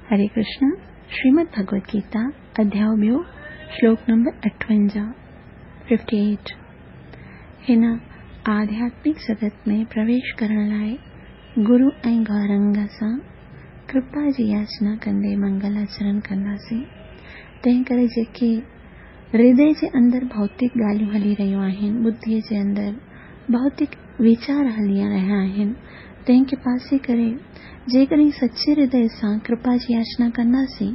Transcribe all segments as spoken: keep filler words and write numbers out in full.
हरे कृष्ण। श्रीमद् भगवत गीता अध्याय ॿियो श्लोक नंबर अठवंजाह फिफ्टी एट। हिन आध्यात्मिक जगत में प्रवेश करण लाइ गुरु ऐं गौरंग सां कृपा जी याचना कंदे मंगल आचरण कंदासीं। तंहिं करे जेके हृदय जे अंदरि भौतिक ॻाल्हियूं हली रहियूं आहिनि, बुद्धीअ जे अंदरि भौतिक वीचार हली रहिया आहिनि, तंहिंखे पासे करे जेकॾहिं सचे हृदय सां कृपा जी याचना कंदासीं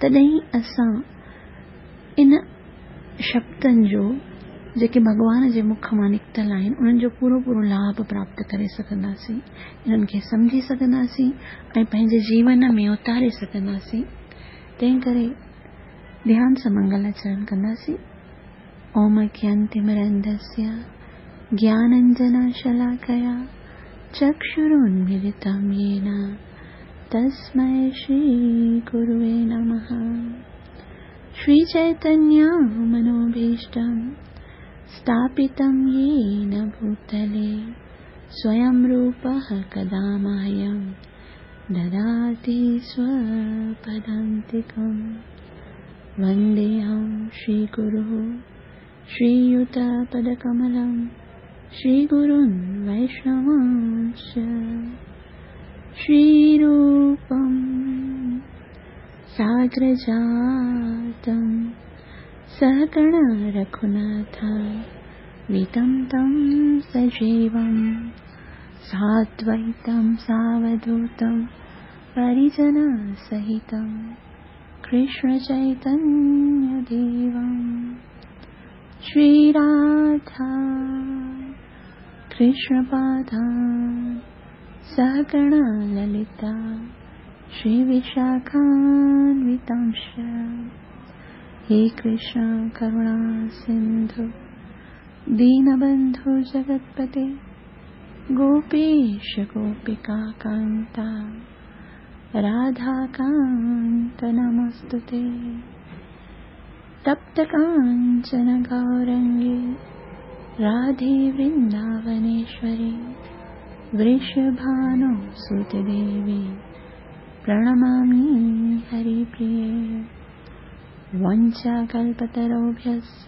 तॾहिं असां इन शब्दनि जो जेके भॻवान जे मुख मां निकितल आहिनि उन्हनि जो पूरो पूरो लाभ प्राप्त करे सघंदासीं, इन्हनि खे सम्झी सघंदासीं ऐं पंहिंजे जीवन में उतारे सघंदासीं। तंहिं करे ध्यान सां मंगलाचरण कंदासीं। ओम अज्ञानतिमिरन्धस्य ज्ञानाञ्जनशलाकया चक्षुरुन्मीलितं येन तस्मै श्रीगुरुवे नमः। श्रीचैतन्यमनोभीष्टं स्थापितं येन भूतले स्वयं रूपः कदा मह्यं ददाति स्वपदान्तिकं। वन्देऽहं श्रीगुरुः श्रीयुतपदकमलं श्रीगुरुन् वैष्णवांश्च। श्रीरूपं साग्रजातं सहगण रघुनाथान्वितं तं सजीवं साद्वैतं सावधूतं परिजनसहितं कृष्णचैतन्यदेवं। श्रीराधा कृष्णपादान् सहगण ललिता श्रीविशाखान्वितांश्च। हे कृष्ण करुणा सिन्धु दीनबन्धु जगत्पते गोपेश गोपिकान्ता राधाकान्त नमोऽस्तुते। तप्तकाञ्चन गौरङ्गे राधे वृन्दावनेश्वरी वृषभानुसुते देवी प्रणमामि हरिप्रिये। वञ्चाकल्पतरुभ्यश्च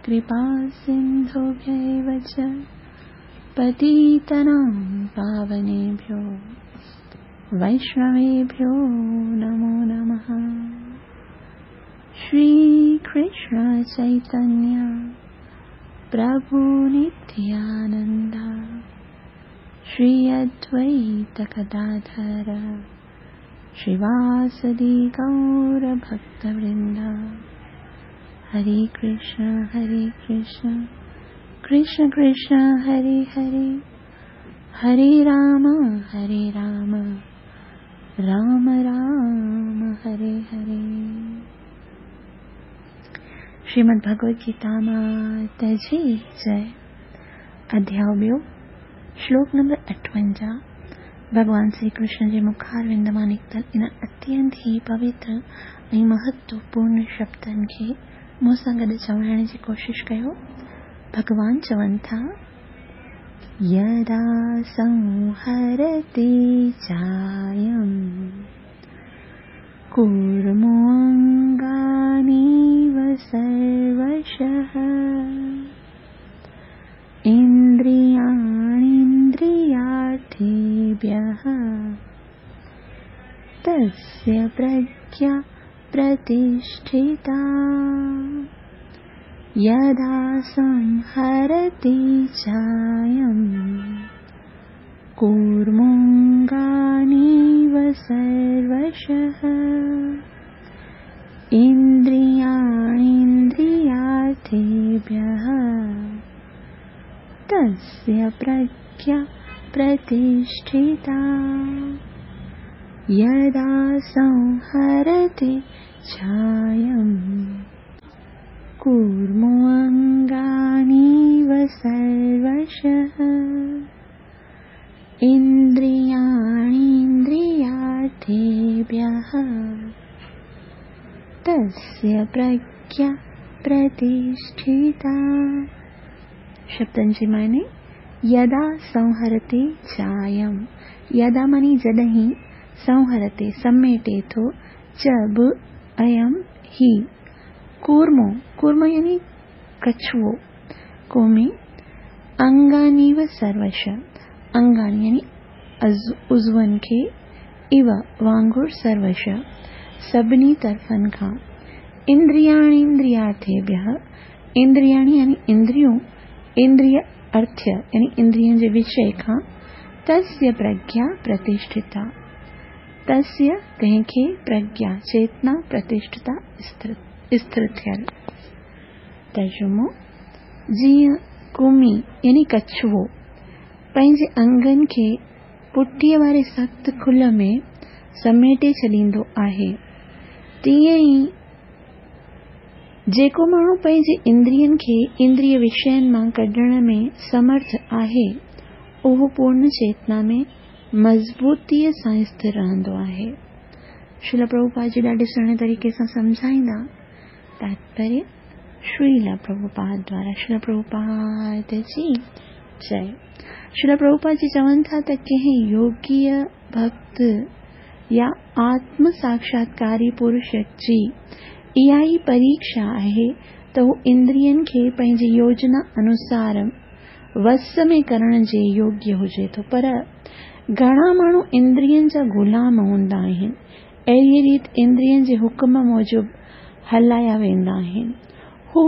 कृपासिन्धुभ्य एव च पतितानां पावनेभ्यो वैष्णवेभ्यो नमो नमः। श्रीकृष्ण चैतन्य प्रभु नित्यानंद श्री अद्वैत गदाधर श्रीवासदि गौर भक्तवृंद। हरे कृष्ण हरे कृष्ण कृष्ण कृष्ण हरे हरे, हरे राम हरे राम राम राम हरे हरे। श्रीमद् भगवद गीता माता जी जय। अध्याय ॿियो श्लोक नंबर अठवंजाह। भॻवान श्री कृष्ण जे मुखारविंद मां निकितल इन अत्यंत ई पवित्र ऐं महत्वपूर्ण शब्दनि खे मूंसां गॾु चवाइण जी कोशिश कयो। भॻवान चवनि था, यदा संहरति चायं कूर्मोऽङ्गानीव सर्वशः इन्द्रियाणीन्द्रियार्थेभ्यः तस्य प्रज्ञा प्रतिष्ठिता। यदा संहरति चायं कूर्मोऽङ्गानीव सर्वशः इन्द्रियाणीन्द्रियार्थेभ्यः तस्य प्रज्ञा प्रतिष्ठिता। यदा संहरति चायं कूर्मोऽङ्गानीव सर्वशः इन्द्रियाणीन्द्रियार्थेभ्यः तस्य प्रज्ञा प्रतिष्ठिता। शब्दनि जी माने यदा संहरति चायं, यदा मानी जॾहिं, संहरते समेटे थो, च बि अयं ही कूर्मो, कूर्म यानी कछुओ, कूमी अंगानीव सर्वश, अंगानी यानी उज़ुअनि खे, इव वांगुरु सर्वश सभिनी तरफ़नि खां, इंद्रियाणीन्द्रियार्थेभ्यः, इंद्रियाणी यानी इंद्रियूं, इंद्रिय अर्थ्य यानी इंद्रियनि जे विषय खां, तस्य प्रज्ञा प्रतिष्ठिता, तस्य तंहिंखे प्रज्ञा चेतना प्रतिष्ठिता स्थिर थियल। तर्जुमो जीअं कुमी यानी कछुओ पंहिंजे अंगनि खे पुठीअ वारे सख़्तु खुल में समेटे छॾींदो आहे, तीअं ई जेको माण्हू पंहिंजे इंद्रियनि खे इंद्रिय विषयनि मां कढण में समर्थ आहे, उहो पूर्ण चेतना में मज़बूतीअ सां स्थिर रहंदो आहे। श्रील प्रभुपाद जी ॾाढे सुहिणे तरीक़े सां सम्झाईंदा। तात्पर्य श्रील प्रभुपाद द्वारा। श्रील प्रभुपाद जी जय। श्रील प्रभुपाद जी चवनि था त कंहिं योगीअ भक्त या आत्म साक्षात्कारी पुरुष जी इहा ई परीक्षा आहे त हू इंद्रियनि खे पंहिंजी योजना अनुसार वस में करण जे योग्य हुजे थो, पर घणा माण्हू इंद्रियनि जा ग़ुलाम हूंदा आहिनि, अहिड़ी रीति इंद्रियनि जे हुक्म मूजिबि हलाया वेंदा आहिनि। हू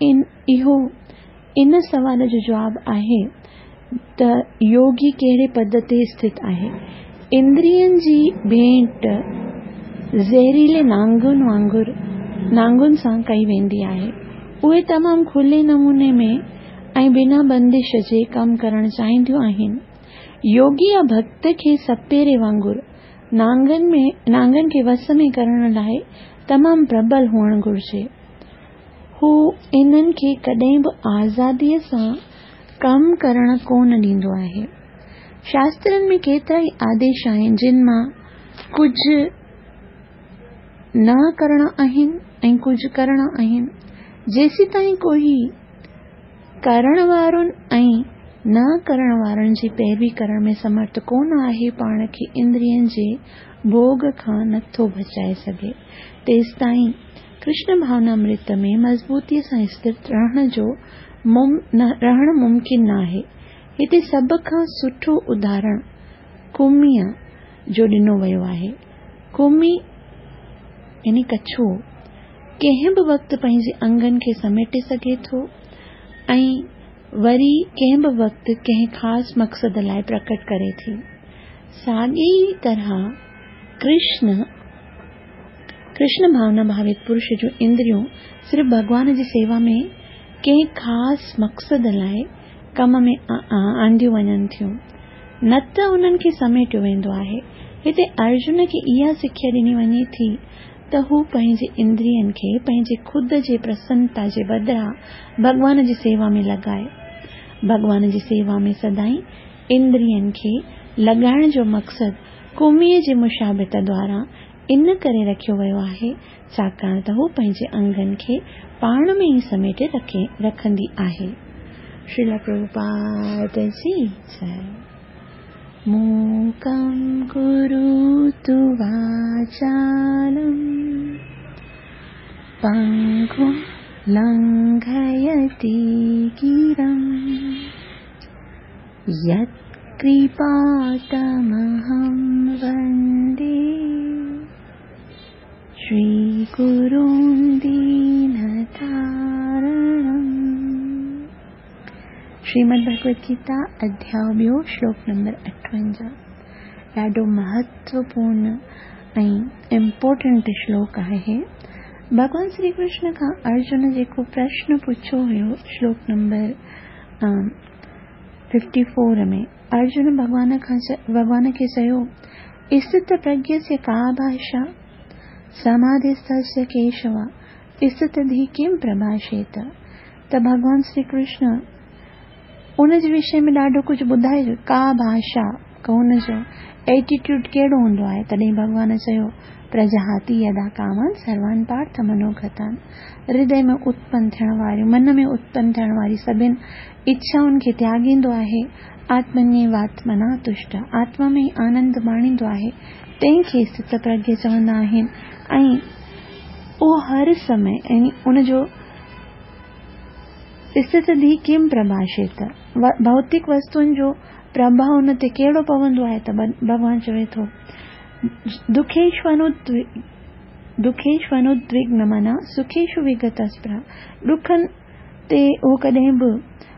इन इहो इन सवाल जो जवाबु आहे त योगी कहिड़े पद ते स्थित आहे। इंद्रियनि जी भेंट ज़हरीले नांगुनि वांगुरु नांगुनि सां कई वेंदी आहे। उहे तमामु खुले नमूने में ऐं बिना बंदिश जे कमु करणु चाहींदियूं आहिनि। योगी या भक्त खे सपेरे वांगुरु नांगनि में नांगनि खे वस में करण लाइ तमामु प्रबल हुअणु घुरिजे। हू इन्हनि खे कॾहिं बि आज़ादीअ सां कमु करण कोन ॾींदो आहे। शास्त्रनि में केतिरा ई आदेश आहिनि जिन मां कुझु न करणा आहिनि ऐं कुझु करणा आहिनि। जेसीं ताईं कोई करण वारनि ऐं न करण वारनि जी पैरवी करण में समर्थ कोन आहे, पाण खे इंद्रियनि जे भोग खां नथो बचाए सघे, तेसि ताईं कृष्ण भावनामृत में मज़बूतीअ सां स्थिर रहण जो रहणु मुमकिन न आहे। हिते सभ खां सुठो उदाहरण कुमीअ जो ॾिनो वियो आहे। कुमी यानी कछुओ कंहिं बि वक़्तु पंहिंजे अंगनि खे समेटे सघे थो ऐं वरी कंहिं बि वक़्तु कंहिं ख़ासि मक़सद लाइ प्रकट करे थी। साॻी ई तरह कृष्ण कृष्ण भावना भावित पुरुष जूं इंद्रियूं सिर्फ़ु भॻवान जी सेवा में कंहिं ख़ासि मक़सद लाइ कम में आंदियूं वञनि थियूं, न त उन्हनि खे समेटियो वेंदो आहे। हिते अर्जुन खे इहा सिख्या ॾिनी वञे थी त हू पंहिंजे इंद्रियनि खे पंहिंजे ख़ुदि जे प्रसन्नता जे बदिरां भॻवान जी सेवा में लॻाए। भॻवान जी सेवा में सदाईं इंद्रियनि खे लॻाइण जो मक़सदु कुमीअ जे मुशाबित द्वारा इन करे रखियो वियो आहे, छाकाणि त हू पंहिंजे अंगनि खे पाण में ई समेटे रखे रखंदी आहे। श्रील प्रभुपाद जी जय। मूकं करोतु वाचालं पङ्गुं लङ्घयति गिरिं यत्कृपातमहं वन्दे श्रीगुरुं दीनतारणम्। श्रीमद् भगवद गीता अध्याय ॿियो श्लोक नंबर अठवंजाह। ॾाढो महत्वपूर्ण ऐं इम्पोर्टेंट श्लोक आहे। भॻवान श्री कृष्ण खां अर्जुन जेको प्रश्न पुछियो हुयो श्लोक नंबर फिफ्टी फोर में, अर्जुन भॻवान खां भॻवान खे चयो, स्थित प्रज्ञस्य का भाषा समाधिस्थस्य केशव स्थितधि किम प्रभाषेत। त भॻवान श्री कृष्ण उन जे विषय में ॾाढो कुझु ॿुधाए, का भाषा, हुन जो एटीट्यूड कहिड़ो हूंदो आहे। तॾहिं भॻवान चयो, प्रजहाति यदा कामान सर्वान पार्थ मनोगतान। हृदय में उत्पन्न थियण वारियूं, मन में उत्पन्न थियण वारी सभिनि इच्छाउनि खे त्यागींदो आहे। आत्मन्येवात्मना तुष्ट, आत्मा में ई आनंद माणींदो आहे। तंहिंखे स्थितप्रज्ञ चवंदा आहिनि। ऐं उहो हर समय यानी उनजो स्थितधी किम प्रभाषित, भौतिक वस्तुनि जो प्रभाव उन ते कहिड़ो पवंदो आहे? त भॻवान चवे थो दुखेष्वनुद्विग्न मना सुखेषु विगत स्पृहा। ॾुखनि ते उहो कॾहिं बि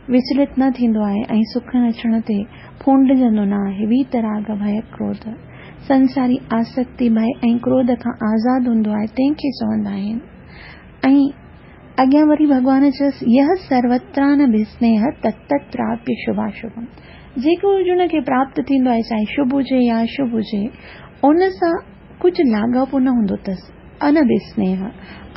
विचलित न थींदो आहे ऐं सुखनि अचण ते फूंडिजंदो न आहे। वीतराग भय क्रोध, संसारी आसक्ति भय ऐं क्रोध खां आज़ाद हूंदो आहे, तंहिंखे चवंदा आहिनि। ऐं अॻियां वरी भॻवान चयोसि यह सर्वत्रानभिस्नेह तत्तत् प्राप्य शुभाशुभम। जेको हुनखे प्राप्त थींदो आहे, चाहे शुभ हुजे या अशुभ हुजे, उन सां कुझु लाॻापो न हूंदो अथसि। अनभिस्नेह,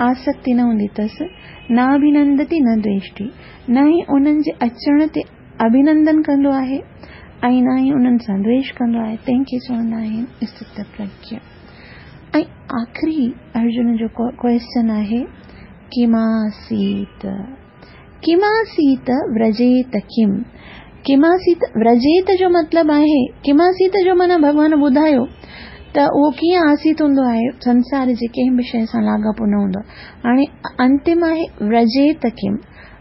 आसक्ति न हूंदी अथसि। न अभिनंदति न द्वेष्टि, न ई उन्हनि जे अचण ते अभिनंदन कंदो आहे ऐं न ई उन्हनि सां द्वेष कंदो आहे, तंहिंखे चवंदा आहिनि स्थितप्रज्ञ। ऐं आख़िरी अर्जुन जो क्वेश्चन आहे किमासीत, किमासीत व्रजेत किम। किमासीत व्रजेत जो मतिलबु आहे, किमासीत जो माना भॻवान ॿुधायो त उहो कीअं आसीत हूंदो आहे, संसार जे कंहिं बि शइ सां लाॻापो न हूंदो आहे। हाणे अंतिम आहे व्रजेत किम।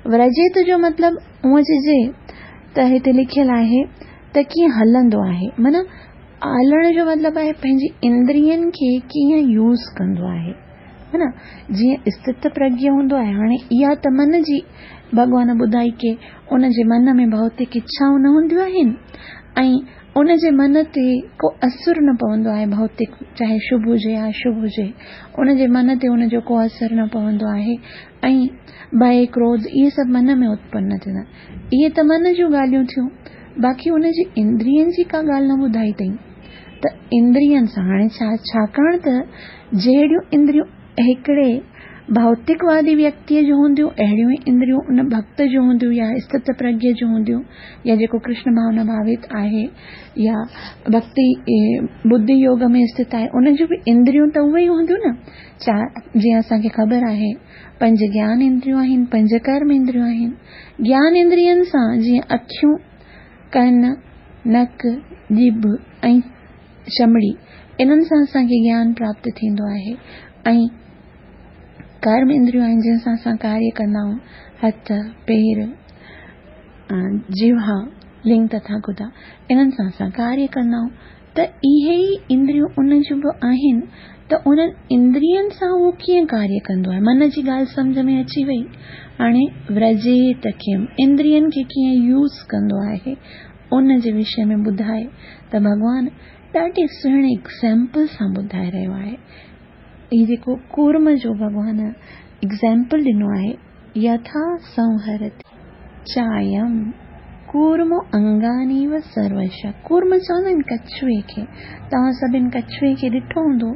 व्रजेत जो मतिलबु हूअं चइजे त हिते लिखियलु आहे त कीअं हलंदो आहे, माना हलण जो मतिलबु आहे पंहिंजी इंद्रियनि खे कीअं यूज़ कंदो आहे, है न। जीअं स्थितप्रज्ञ हूंदो आहे, हाणे इहा त मन जी भॻवान ॿुधाई की उनजे मन में भौतिक इच्छाऊं न हूंदियूं आहिनि ऐं उनजे मन ते को असरु न पवंदो आहे, भौतिक चाहे शुभ हुजे या अशुभ हुजे, उनजे मन ते उनजो को असरु न पवंदो आहे ऐं भय क्रोध इहे सभु मन में उत्पन्न न थींदा। इहे त मन जूं ॻाल्हियूं थियूं, बाक़ी उनजी इंद्रियनि जी का ॻाल्हि न ॿुधाई अथई। त इंद्रियनि सां हाणे छा, छाकाणि त जहिड़ियूं इंद्रियूं हिकिड़े भौतिकवादी व्यक्तीअ जूं हूंदियूं, अहिड़ियूं ई इंद्रियूं उन भक्त जूं हूंदियूं या स्थितप्रज्ञ जूं हूंदियूं, या जेको कृष्ण भावना भावित आहे या भक्ति बुद्धि योग में स्थित आहे, उन जूं बि इंद्रियूं त उहे ई हूंदियूं न। चा जीअं असांखे ख़बर आहे पंज ज्ञान इंद्रियूं आहिनि, पंज कर्म इंद्रियूं आहिनि। ज्ञान इंद्रियनि सां जीअं अखियूं, कन, नक, जीभ ऐं चमड़ी, इन्हनि सां असांखे ज्ञान प्राप्त थींदो आहे। ऐं कर्म इंद्रियूं आहिनि जंहिं सां असां कार्य कंदा आहियूं, हथ, पेर, जिह्वा, लिंग तथा गुदा, इन्हनि सां असां कार्य कंदा आहियूं। त इहे ई इंद्रियूं उन जूं बि आहिनि, त उन्हनि इंद्रियनि सां उहो कीअं कार्य कंदो आहे? मन जी ॻाल्हि सम्झ में अची वई। हाणे व्रजेत किम, इंद्रियनि खे कीअं यूज़ कंदो आहे उन जे विषय में ॿुधाए त भॻवान ॾाढे सुहिणे एग्ज़ाम्पल सां ॿुधाए रहियो आहे। हीउ जेको कूर्म जो भॻवान एग्ज़ाम्पल ॾिनो आहे, यथा संहरति चायम कूर्मो अंगानीव सर्वश। कूर्म चवंदा आहिनि कछुए खे, तव्हां सभिनि कछुए खे ॾिठो हूंदो।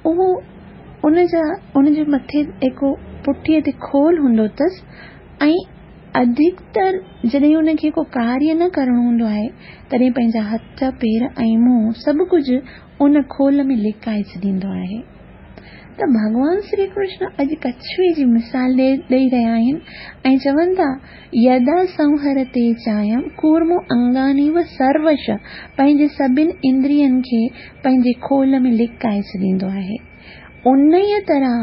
उहो उनजा उनजे मथे हिकु पुठीअ ते खोल हूंदो अथसि ऐं अधिकतर जॾहिं उनखे को कार्य न करिणो हूंदो आहे तॾहिं पंहिंजा हथ, पेर ऐं मुंहुं सभु कुझु उन खोल में लिकाए छॾींदो आहे। त भॻवान श्री कृष्ण अॼु कछुए जी मिसाल ॾेई रहिया आहिनि ऐं चवनि था यदा संहरते चायम कूर्मो अंगानीव सर्वश, पंहिंजे सभिनि इंद्रियनि खे पंहिंजे खोल में लिकाए छॾींदो आहे। उन ई तरह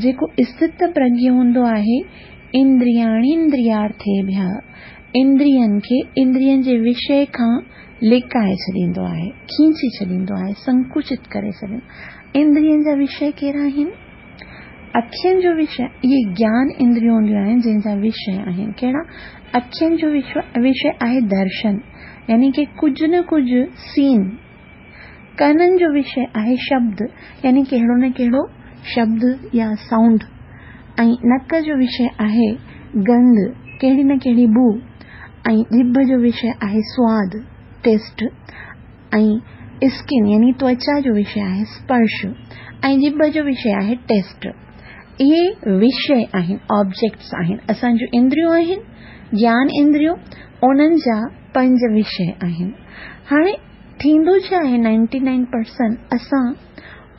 जेको स्थितप्रज्ञ हूंदो आहे, इंद्रियाणीन्द्रियार्थेभ्यः, इंद्रियनि खे इंद्रियनि जे विषय खां लिकाए छॾींदो आहे, खींची छॾींदो आहे, संकुचित करे छॾींदो। इंद्रियनि जा विषय कहिड़ा आहिनि? अखियुनि जो विषय, इहे ज्ञान इंद्रियूं हूंदियूं आहिनि जंहिंजा विषय आहिनि। कहिड़ा? अखियुनि जो विषय आहे दर्शन, यानी की कुझु न कुझु सीन। कननि जो विषय आहे शब्द, यानी कहिड़ो न कहिड़ो शब्द या साउंड। ऐं नक जो विषय आहे गंध, कहिड़ी न कहिड़ी बू। ऐं जिभ जो विषय आहे स्वाद, टेस्ट। ऐं स्किन यानी त्वचा जो विषय आहे स्पर्श। ऐं जिभ जो विषय आहे टेस्ट। इहे विषय आहिनि, ऑब्जेक्ट्स आहिनि। असांजूं इंद्रियूं आहिनि, ज्ञान इंद्रियूं, उन्हनि जा पंज विषय आहिनि। हाणे थींदो छा आहे, नाइंटी नाइन परसेंट असां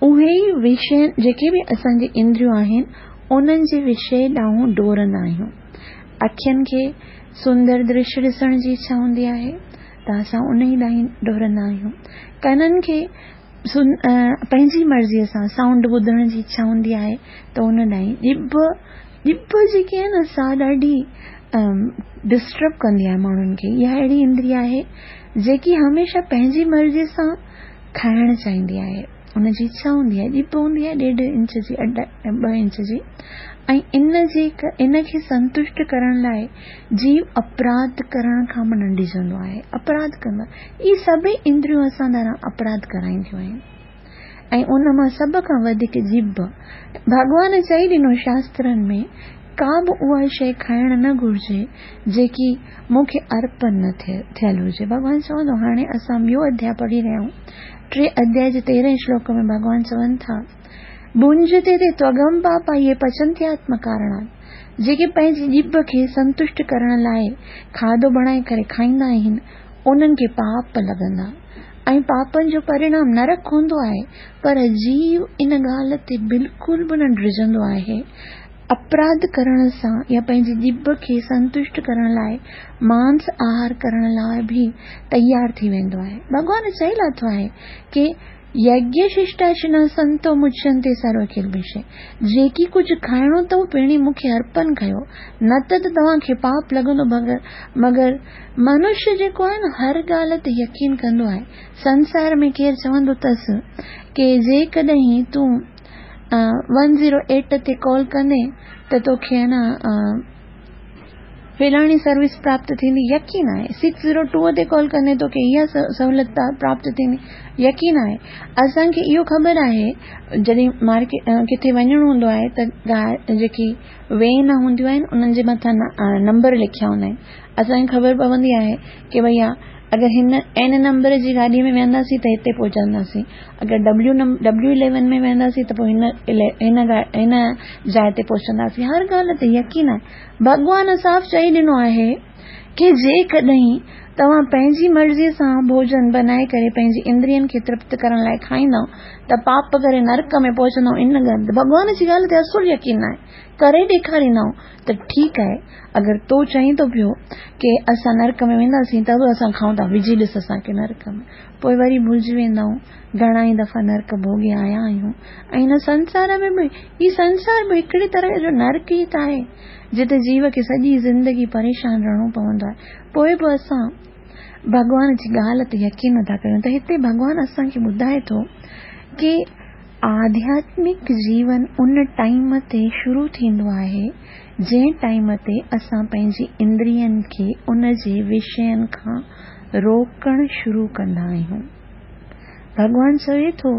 उहे ई विषय जेके बि असांजी इंद्रियूं आहिनि उन्हनि जे विषय ॾांहुं डोरंदा आहियूं। अखियुनि खे सुंदर दृश्य ॾिसण जी इच्छा हूंदी आहे त असां उन ई ॾांहुं डोरंदा आहियूं। कननि खे पंहिंजी मर्ज़ीअ सां साउंड ॿुधण जी इच्छा हूंदी आहे त उन ॾांहुं ॼिभ ॼिभ जेकी आहे न सा ॾाढी डिस्टर्ब कंदी आहे माण्हुनि खे। इहा अहिड़ी इंद्रिय आहे जेकी हमेशह पंहिंजी मर्ज़ीअ सां खाइण चाहींदी आहे, उनजी इच्छा हूंदी आहे। ॼिभ हूंदी आहे ॾेढ इंच जी, ॿ इंच जी, ऐं इन जे इन खे संतुष्ट करण लाइ जीव अपराध करण खां बि न डिॼंदो आहे, अपराध कंदो आहे। इहे सभई इंद्रियूं असां द्वारा अपराध कराईंदियूं आहिनि ऐं उन मां सभ खां वधीक ॼिभ। भॻवान चई ॾिनो शास्त्रनि में का बि उहा शइ खाइण न घुर्जे जेकी मूंखे अर्पण न थियल हुजे। भॻवान चवंदो, हाणे असां ॿियो अध्याय पढ़ी रहिया आहियूं, टे अध्याय जे तेरहं श्लोक में भॻवान चवनि था, भुंजते ते त्वगम पापा इहे पचंत्यात्म कारणात्, जेके पंहिंजी ॼिभ खे संतुष्ट करण लाइ खाधो बणाए करे खाईंदा आहिनि उन्हनि खे पाप लॻंदा ऐं पापनि जो परिणाम नरक हूंदो आहे। पर जीव इन ॻाल्हि ते बिल्कुलु बि न डिॼंदो आहे। अपराध करण सां या पंहिंजी ॼिभ खे संतुष्ट करण लाइ मांस आहार करण लाइ बि तयारु थी वेंदो आहे। भॻवान चई लाथो आहे की यज्ञ शिष्टाशिना संतो मुच्यन्ते सर्व किल्बिषे, जेकी कुझु खाइणो अथव पहिरीं मूंखे अर्पण कयो, न त तव्हांखे पाप लॻंदो। मगर मगर मनुष्य जेको आहे न हर ॻाल्हि ते यकीन कंदो आहे। संसार में केरु चवंदो अथसि की जेकॾहिं तूं वन ज़ीरो एट ते कॉल कंदे त तोखे आहे न फलाणी सर्विस प्राप्त थींदी, यकीन आहे। सिक्स ज़ीरो टू ते कॉल कंदे तोखे इहा सहूलियत प्राप्त थींदी, यकीन आहे। असांखे इहो ख़बर आहे जॾहिं मार्केट किथे वञिणो हूंदो आहे त जेकी when हूंदियूं आहिनि उन्हनि जे मथां नंबर लिखिया हूंदा आहिनि। असांखे ख़बर पवंदी आहे की भईया अगरि हिन एन नंबर जी गाॾीअ में वेंदासीं त हिते पहुचंदासीं, अगरि डब्ल्यू डब्ल्यू इलेवन में वेंदासीं त पोइ हिन हिन हिन जाइ ते पहुचंदासीं। हर ॻाल्हि ते यकीन आहे। भॻवान साफ़ चई ॾिनो आहे की जेकॾहिं तव्हां पंहिंजी मर्ज़ीअ सां भोजन बनाए करे पंहिंजी इंद्रियनि खे तृप्त करण लाइ खाईंदव त पाप करे नरक में पहुचंदव। इन ॻाल्हि भॻवान जी ॻाल्हि ते असुलु यकीन आहे, करे ॾेखारींदव त ठीकु आहे। अगरि तूं चई थो पियो की असां नरक में वेंदासीं त बि असां खाऊं था, विझी ॾिस असांखे नरक में, पोइ वरी भुलिजी वेंदा आहियूं। घणा ई दफ़ा नरक भोगे आया आहियूं ऐं हिन संसार में बि, हीउ संसार बि हिकिड़ी तरह जो नरक ई त आहे जिते जीव खे सॼी ज़िंदगी परेशान रहणो पवंदो आहे। पोइ बि असां भॻवान जी ॻाल्हि ते यकीन नथा कयूं। त हिते भॻवान असांखे ॿुधाए थो की आध्यात्मिक जीवन उन टाइम ते शुरू थींदो आहे जंहिं टाइम ते असां पंहिंजी इंद्रियनि खे उन जे विषयनि खां रोकण शुरू कंदा आहियूं। भॻवान चवे थो,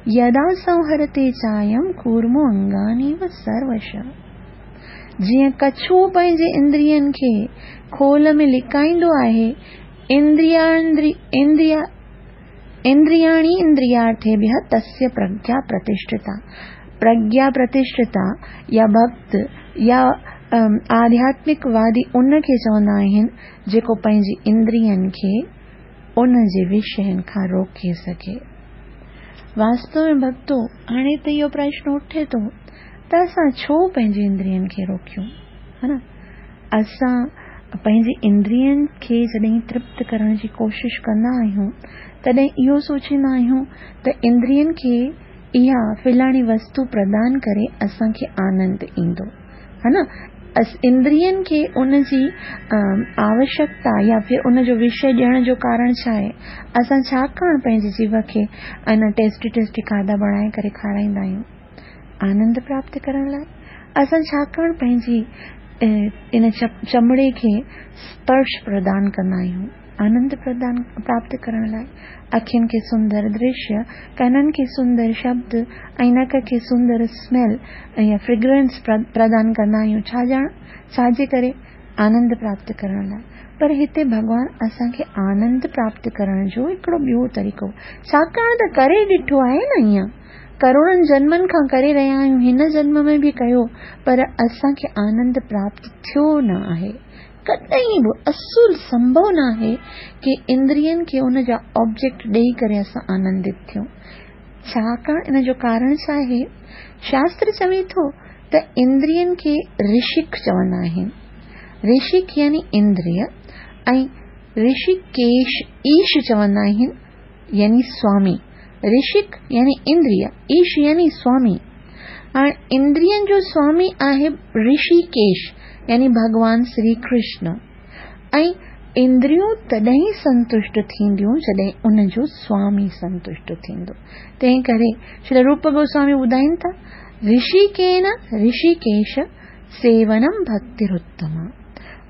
यदा संहरते चायम कूर्मो अंगानीव सर्वश, जीअं कछुओ पंहिंजे इंद्रियनि खे खोल में लिकाईंदो आहे, इंद्रियांद्रि इंद्रिया इंद्रियाणि इंद्रियार्थेभ्यः तस्य प्रज्ञा प्रतिष्ठिता। प्रज्ञा प्रतिष्ठिता या भक्त या आध्यात्मिकवादी उनखे चवंदा आहिनि जेको पंहिंजी इंद्रियनि खे उन जे विषयनि खां रोके सघे। वास्तव में भक्तो, हाणे त इहो प्रश्न उठे थो त असां छो पंहिंजी इंद्रियनि खे रोकियूं, हा न? असां पंहिंजी इंद्रियनि खे जॾहिं तृप्त करण जी कोशिश कंदा आहियूं तॾहिं इहो सोचींदा आहियूं त इंद्रियनि खे इहा फलाणी वस्तु प्रदान करे असांखे आनंद ईंदो, हा न? इंद्रियनि खे उन जी आवश्यकता या फिर उन जो विषय ॾियण जो कारण छा आहे? असां छाकाणि पंहिंजे जीव खे अन टेस्टी टेस्टी खाधा बणाए करे खाराईंदा आहियूं आनंद प्राप्त करण लाइ? असां छाकाणि पंहिंजी इन चमड़े खे स्पर्श प्रदान कंदा आहियूं आनंद प्रदान प्राप्त करण लाइ? अखियुनि खे सुंदर दृश्य, कननि खे सुंदर शब्द ऐं नक खे सुंदर स्मेल या फ्रेग्रेंस प्रदान कंदा आहियूं, छा ॼाण छाजे करे? आनंद प्राप्त करण लाइ। पर हिते भॻवान असांखे आनंद प्राप्त करण जो हिकिड़ो ॿियो तरीक़ो, छाकाणि त करे ॾिठो आहे न, ईअं करोड़नि जन्मनि खां करे रहिया आहियूं, हिन जन्म में बि कयो, पर असांखे आनंद प्राप्त थियो न आहे। कॾहिं बि असुल संभव न आहे की इंद्रियनि खे उन जा ऑब्जेक्ट ॾेई करे असां आनंदित थियूं। छाकाणि इन जो कारण छा आहे? शास्त्र चवे थो त इंद्रियनि खे ऋषिक चवंदा आहिनि। ऋषिक यानी इंद्रिय ऐं ऋषिकेश ईश चवंदा आहिनि यानी स्वामी। رشڪ يعني اندريه، ايش يعني سوامي. هاڻي اندرين جو سوامي آهي رشيڪيش يعني ڀڳوان شري ڪرشن، ۽ اندريون تڏهن سنتشٽ ٿينديون جڏهن ان جو سوامي سنتشٽ ٿيندو. تنهن ڪري شري روپ گوسوامي ٻڌائين ٿا، رشيڪين رشيڪيش سيونم ڀڪتراتما.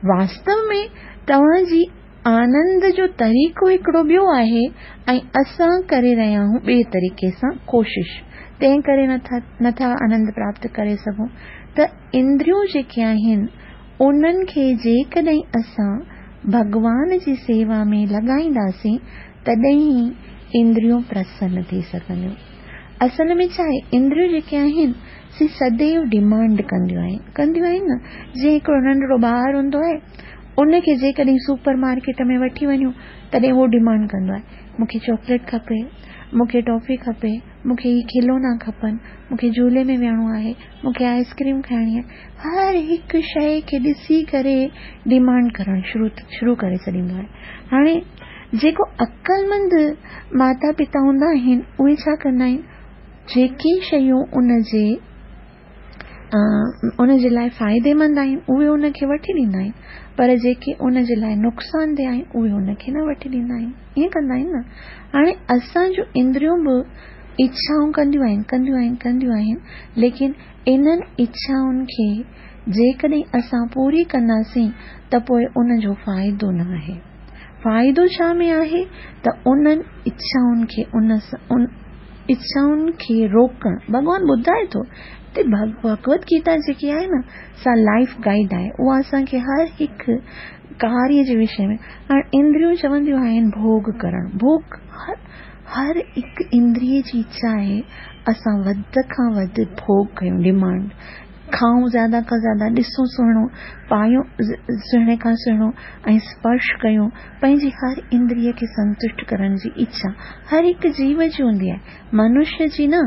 واستو ۾ توهان جي آنند جو طريقو هڪڙو ٻيو آهي ۽ اسان ڪري رهيا آهيون ٻئي طريقي سان ڪوشش، تنهن ڪري نٿا نٿا آنند پراپت ڪري سگهون. ته اندريون جيڪي آهن انهن کي جيڪڏهن اسان ڀڳوان جي سيوا ۾ لڳائينداسين تڏهن ئي اندريون پرسن ٿي سگهنديون. اصل ۾ ڇا آهي، اندريون جيڪي آهن سي سديو ڊمانڊ ڪنديون آهن، ڪنديون آهن نه. جيئن هڪڙو ننڍڙو ٻار هوندو آهي، ان کي جيڪڏهن سپر مارڪيٽ ۾ وٺي وڃون تڏهن اهو ڊمانڊ ڪندو آهي، مون کي چاڪليٽ کپي، مون کي ٽافي کپي، مون کي هي کلونا کپن، مون کي جهولي ۾ ويهڻو آهي، مون کي آئسڪريم کائڻي آهي. هر هڪ شيءِ کي ڏسي ڪري ڊمانڊ ڪرڻ شروع شروع ڪري ڇڏيندو آهي. هاڻي جيڪو عقلمند ماتا پتا هوندا آهن اهي ڇا ڪندا آهن، جيڪي شيون ان جي ان جي لاءِ فائديمند آهن اهي ان کي وٺي ڏيندا آهن، پر جيڪي ان جي لاءِ نقصاندهه آهن اهي ان کي نه وٺي ڏيندا آهن. ائين ڪندا آهن نه. هاڻي اسان جون اندريون به اڇائون ڪنديون آهن ڪنديون آهن ڪنديون آهن، ليڪن انهن اڇائن کي جيڪڏهن اسان پوري ڪنداسين ته پوءِ ان جو فائدو نه آهي. فائدو ڇا ۾ آهي ته انهن اڇائن کي ان ان اڇائن کي روڪڻ. ڀڳوان ٻڌائي ٿو ته ڀڳوت گيتا جيڪي آهي نه سا لائيف گائيڊ آهي، اها اسان کي هر هڪ ڪاريه جي وشي ۾. هاڻي اندريون چونديون آهن ڀوڳ ڪرڻ، ڀوڳ هر هر هڪ اندريه جي اڇا آهي اسان وڌ کان وڌ ڀوڳ ڪيون، ڊمانڊ، کائون زياده کان زياده، ڏسون سهڻو، پايون سهڻي کان سهڻو ۽ سپرش ڪيون. پنهنجي هر اندريه کي سنتشٽ ڪرڻ جي اڇا هر هڪ جيو جي هوندي آهي، منشيه جي نه،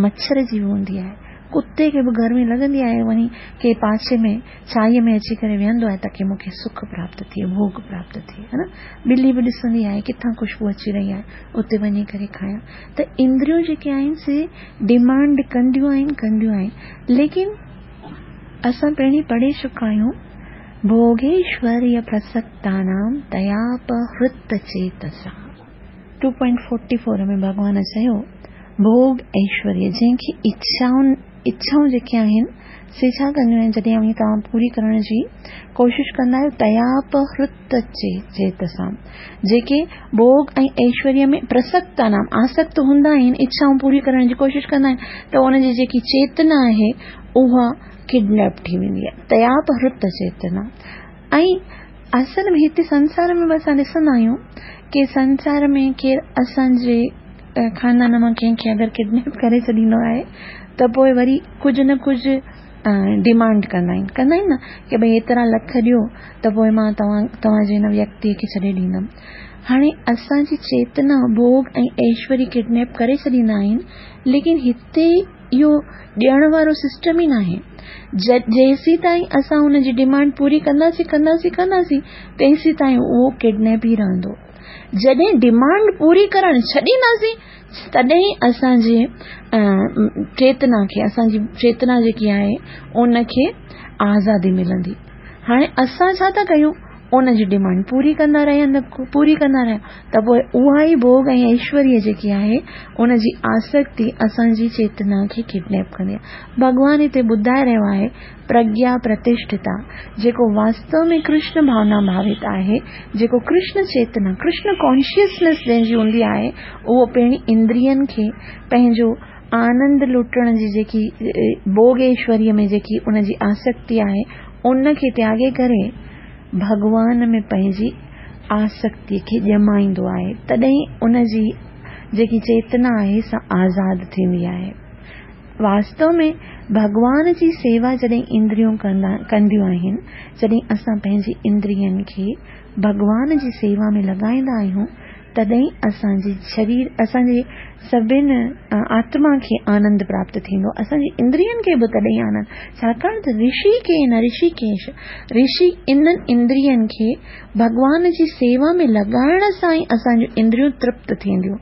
مڇر جي به هوندي آهي. ڪتي کي به گرمي لڳندي آهي، وڃي ڪنهن پاسي ۾ ڇائيءَ ۾ اچي ڪري ويهندو آهي تاڪه مون کي سک پراپت ٿئي، ڀوڳ پراپت ٿئي، ها نه. ٻلي به ڏسندي آهي ڪٿان خوشبو اچي رهي آهي، اتي وڃي ڪري کايان. ته اندريون جيڪي آهن سي ڊمانڊ ڪنديون آهن ڪنديون آهن، ليڪن اسان پهرين پڙهي چڪا آهيون، ڀوگيشوريه پرسڪتانام تياپهرت چيتسا. ٽو پوائنٽ فورٽي فور ۾ ڀڳوان چيو ڀوڳ ايشوريه، جنهن کي اڇائن اڇائون جيڪي آهن سي ڇا ڪنديون آهن، جڏهن اوهين توهان پوري ڪرڻ جي ڪوشش ڪندا آهيو، تياپهرت چيتسا، جيڪي ڀوڳ ۽ ايشوريه ۾ پرسڪتانام آسڪت هوندا آهن، اڇائون پوري ڪرڻ جي ڪوشش ڪندا آهن، ته ان جي جيڪي چيتنا آهي اها ڪڊنيپ ٿي ويندي آهي، تياپهرت چيتنا. ۽ اصل ۾ هتي سنسار ۾ به اسان ڏسندا آهيون ڪه سنسار ۾ ڪير اسان جي خاندان مان ڪنهن کي اگر ڪڊنيپ ڪري ڇڏيندو آهي ته پوءِ وري ڪجهه نه ڪجهه ڊمانڊ ڪندا آهن، ڪندا آهن نه ڪه ڀئي ايترا لک ڏيو ته پوءِ مان توهان توهان جي هن ويڪتيءَ کي ڇڏي ڏيندم. هاڻي اسان جي چيتنا ڀوڳ ۽ ايشوريه ڪڊنيپ ڪري ڇڏيندا آهن، ليڪن هتي اهو ڏيڻ وارو سسٽم ئي ناهي. جيسين تائين اسان هن جي ڊمانڊ پوري ڪنداسين ڪنداسين ڪنداسين تيسين تائين اهو ڪڊنيپ ئي رهندو. جڏهن ڊمانڊ پوري ڪرڻ ڇڏينداسين تڏهن اسان جي چيتنا کي، اسان جي چيتنا جيڪي آهي ان کي آزادي ملندي. هاڻي اسان ڇا ٿا ڪيون، ان جي ڊمانڊ پوري ڪندا رهيا پوري ڪندا رهيا ته پوءِ اها ئي ڀوڳ ۽ ايشوريه جيڪي آهي ان جي آسڪتي اسان جي چيتنا کي ڪڊنيپ ڪندي آهي. ڀڳوان هتي ٻڌائي رهيو آهي پرگيا پرتشٺتا، جيڪو واستو ۾ ڪرشن ڀاونا ڀاوت آهي، جيڪو ڪرشن چيتنا ڪرشن ڪانشيسنيس جنهن جي هوندي آهي، اهو پهرين اندرين کي پنهنجو آنند لٽڻ جي جيڪي ڀوڳ ايشوريه ۾ جيڪي ان جي آسڪتي آهي ان کي تياڳي ڪري ڀڳوان ۾ پنهنجي آسڪتيءَ کي ڄمائيندو آهي، تڏهن ان جي جيڪي چيتنا آهي سا آزاد ٿيندي آهي. واستو ۾ ڀڳوان جي سيوا جڏهن اندريون ڪندا ڪنديون آهن، جڏهن اسان پنهنجي اندرين کي ڀڳوان جي سيوا ۾ لڳائيندا آهيون तॾहिं असांजे शरीर, असांजे सभिनी आत्मा खे आनंद प्राप्त थींदो, असांजे इंद्रियनि खे बि तॾहिं आनंद। छाकाणि त ऋषि खे न ऋषिकेश, ऋषि इन्हनि इंद्रियनि खे भॻवान जी सेवा में लॻाइण सां ई असांजूं इंद्रियूं तृप्त थींदियूं।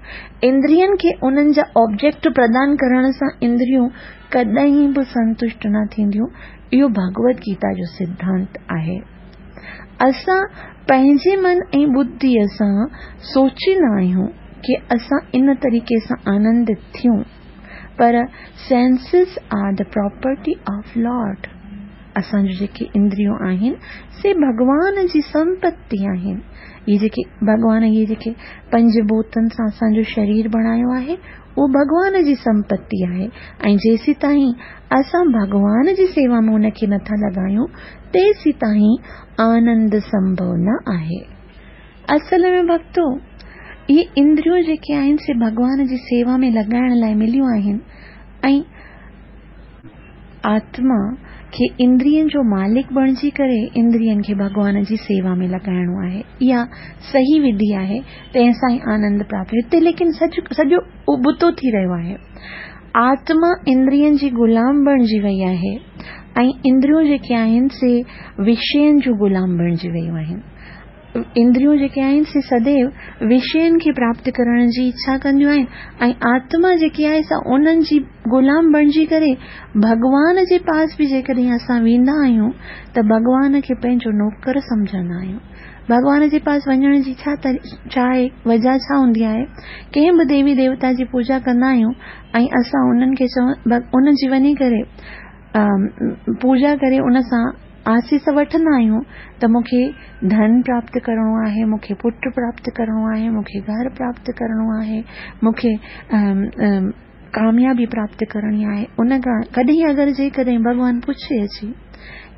इंद्रियनि खे उन्हनि जा ऑब्जेक्ट प्रदान करण सां इंद्रियूं कॾहिं बि संतुष्ट न थींदियूं। इहो भगवद गीता जो सिद्धांत आहे। असां पंहिंजे मन ऐं बुद्धिअ सां सोचींदा आहियूं की असां इन तरीक़े सां आनंदित थियूं, पर senses are the property of lord. असांजूं जेके इंद्रियूं आहिनि से भॻवान जी संपत्ति आहिनि। इहे जेके भॻवान इहे जेके पंज भूतनि सां असांजो शरीर बणायो आहे उहो भॻवान जी संपत्ति आहे ऐं जेसीं ताईं असां भॻवान जी सेवा में उनखे नथा लॻायूं तेसीं ताईं आनंद संभव न आहे। असल में भक्तो, इहे इंद्रियूं जेके आहिनि से भॻवान जी सेवा में लॻाइण लाइ मिलियूं आहिनि ऐं आत्मा खे इंद्रियनि जो मालिक बणिजी करे इंद्रियनि खे भॻवान जी सेवा में लॻाइणो आहे। इहा सही विधि आहे, तंहिं सां ई आनंद प्राप्त। हिते लेकिन सॼो उबतो थी रहियो आहे। आत्मा इंद्रियनि जी गुलाम बणिजी वई आहे ऐं इंद्रियूं जेके आहिनि से विषयनि जूं गुलाम बणिजी वयूं आहिनि। इंद्रियूं जेके आहिनि से सदैव विषयनि खे प्राप्त करण जी इच्छा कंदियूं आहिनि ऐं आत्मा जेकी आहे सा उन्हनि जी गुलाम बणिजी करे भॻवान जे पास बि जेकॾहिं असां वेंदा आहियूं त भॻवान खे पंहिंजो नौकर सम्झंदा आहियूं। भॻवान जे पास वञण जी छा छा आहे, वजह छा हूंदी आहे? कंहिं बि देवी देवता जी पूजा कंदा आहियूं ऐं असां उन्हनि खे चव उन जी वञी करे पूजा करे उन सां आसीस वठंदा आहियूं त मूंखे धन प्राप्त करिणो आहे, मूंखे पुट प्राप्त करिणो आहे, मूंखे घर प्राप्त करिणो आहे, मूंखे कामयाबी प्राप्त करणी आहे। उन खां कॾहिं अगरि जेकॾहिं भॻवान पुछे अची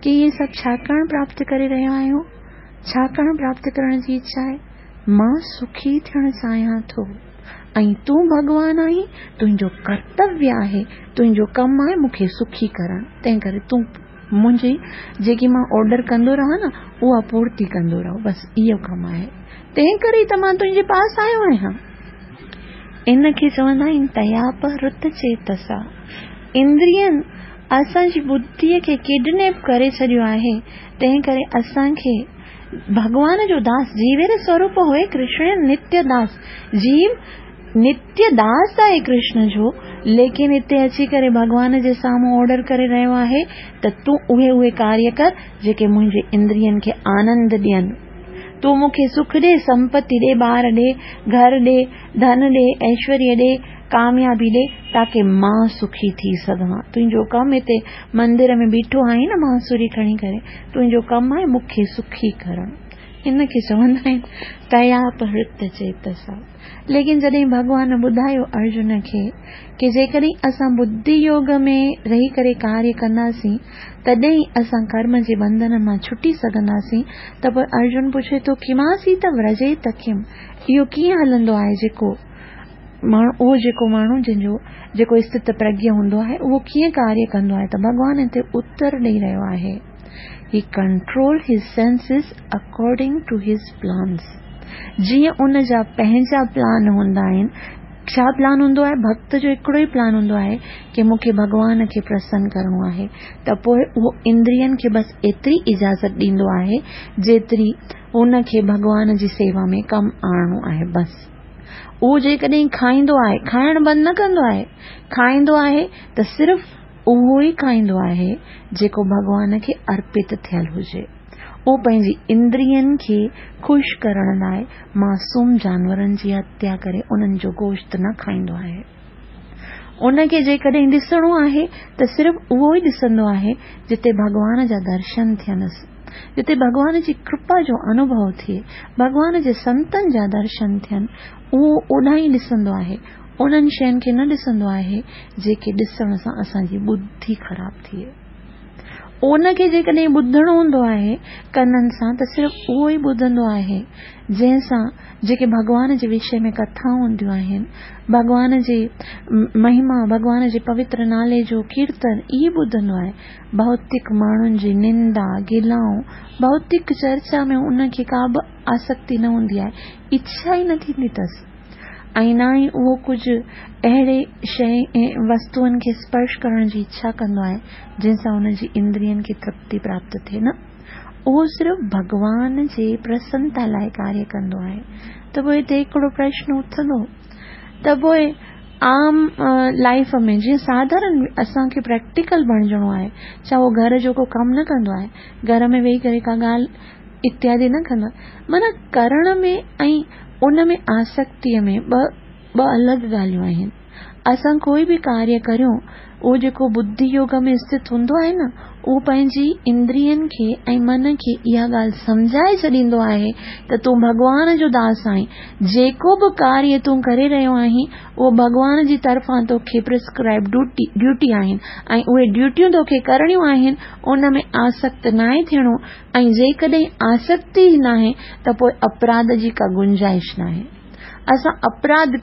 की इहे सभु छाकाणि प्राप्त करे रहिया आहियो, छाकाणि प्राप्त करण जी इच्छा आहे, मां सुखी थियणु चाहियां थो ऐं तूं भॻवान आहीं, तुंहिंजो कर्तव्य आहे, तुंहिंजो कमु आहे मूंखे सुखी करणु, तंहिं करे तूं मुंहिंजी जेकी मां ऑर्डर कंदो रहां न उहा पूर्ति कंदो रहो, बसि इहो कमु आहे, तंहिं करे त मां तुंहिंजे पास आयो आहियां। इन खे चवंदा आहिनि तयापहृत चेतसा। इंद्रियनि असांजी बुद्धिअ खे किडनैप करे छॾियो आहे, तंहिं करे असांखे भॻवान जो दास जीवेर स्वरूप हुए कृष्ण नित्य दास, जीव नित्य दास आहे कृष्ण जो, लेकिन हिते अची करे भॻवान जे साम्हूं ऑर्डर करे रहियो आहे त तूं उहे उहे कार्य कर जेके मुंहिंजे इंद्रियनि खे आनंद ॾियनि, तूं मूंखे सुख ॾे, संपत्ति ॾे, ॿार ॾे, घर ॾे, धन ॾे, ऐश्वर्य ॾे, कामयाबी ॾे, ताकी मां सुखी थी सघां। तुंहिंजो कमु हिते मंदिर में बीठो आहीं न बांसुरी खणी करे, तुंहिंजो कमु आहे मूंखे सुखी करणु। इन खे चवंदा आहिनि तयापहृत चेतसा। लेकिन जॾहिं भॻवान ॿुधायो अर्जुन खे की जेकॾहिं असां बुद्धि योग में रही करे कार्य कंदासीं तॾहिं असां कर्म जे बंधन मां छुटी सघंदासीं, त पोइ अर्जुन पुछे थो किमासी त व्रजेत किम, इहो कीअं हलंदो आहे जेको माण्हू, उहो जेको माण्हू जंहिंजो जेको स्थित प्रज्ञ हूंदो आहे उहो कीअं कार्य कंदो आहे? त भॻवान हिते उत्तर ॾेई रहियो आहे, He control his senses according to his plans. जीअं उन जा पंहिंजा प्लान हूंदा आहिनि, छा प्लान हूंदो आहे? भक्त जो हिकिड़ो ई प्लान हूंदो आहे की मूंखे भॻवान खे प्रसन्न करिणो आहे, त पोइ उहो इंद्रियनि खे बसि एतिरी इजाज़त ॾींदो आहे जेतिरी उनखे भॻवान जी सेवा में कमु आणिणो आहे। बसि उहो जेकॾहिं खाईंदो आहे, खाइणु बंदि न कंदो आहे, खाईंदो आहे त सिर्फ़ उहो ई खाईंदो आहे जेको भॻवान खे अर्पित थियल हुजे। उहो पंहिंजी इंद्रियनि खे ख़ुशि करण लाइ मासूम जानवरनि जी हत्या करे उन्हनि जो गोश्त न खाईंदो आहे। उनखे जेकॾहिं ॾिसणो आहे त सिर्फ़ उहो ई ॾिसंदो आहे जिते भॻवान जा दर्शन थियनसि, जिते भॻवान जी कृपा जो अनुभव थिए, भॻवान जे संतनि जा दर्शन थियनि, उहो ओॾां ई ॾिसंदो आहे। उन्हनि शयुनि खे न ॾिसंदो आहे जेके ॾिसण सां असांजी बुद्धि ख़राब थिए। ان کي جيڪڏهن ٻڌڻو هوندو آهي ڪنن سان ته صرف اهو ئي ٻڌندو آهي جنهن سان جيڪي ڀڳوان جي وشي ۾ ڪٿائون هونديون آهن، ڀڳوان جي مهما، ڀڳوان جي پوتر نالي جو ڪيرتن ئي ٻڌندو آهي. ڀوتڪ ماڻهن جي نندا، گلائون، ڀوتڪ چرچا ۾ ان کي ڪا به آسڪتي نه هوندي آهي، اڇا ئي نه ٿيندي اٿس ۽ نه ئي اهو ڪجهه اهڙي شيء ۽ وستوئن کي سپرش ڪرڻ جي اڇا ڪندو آهي جنهن سان ان جي اندرين کي ترپتي پراپت ٿئي. نه، اهو صرف ڀڳوان جي پرسنتا لاء ڪاريه ڪندو آهي. ته پوء هتي هڪڙو پرشن اٿندو ته پوء عام لائيف ۾ جيئن ساڌارن اسان کي پريڪٽيڪل بڻجڻو آهي، ڇا اهو گهر جو ڪو ڪم نه ڪندو آهي؟ گهر ۾ ويهي ڪري ڪا ڳالهه اتيادي نه ڪندو آهي؟ معنيٰ ڪرڻ ۾ ۽ ان ۾ آسڪتيء ۾ ٻه ٻه الڳ ڳالهيون آهن. اسان ڪوئي به ڪاريه ڪريون، اهو جيڪو ٻڌي يوگ ۾ اسٿت هوندو آهي نه، اهو پنهنجي اندرين کي ۽ من کي اها ڳالهه سمجهائي ڇڏيندو آهي ته تون ڀڳوان جو داس آهين، جيڪو به ڪاريه تون ڪري رهيو آهين، اهو ڀڳوان جي طرفان توکي پرسڪرائبڊ ڊيوٽي ڊيوٽي آهن ۽ اهي ڊيوٽيون توکي ڪرڻيون آهن، ان ۾ آسڪت ناهي ٿيڻو ۽ جيڪڏهن آسڪتي ئي ناهي ته پوء اپراڌ جي ڪا گنجائش ناهي. اسان اپراڌ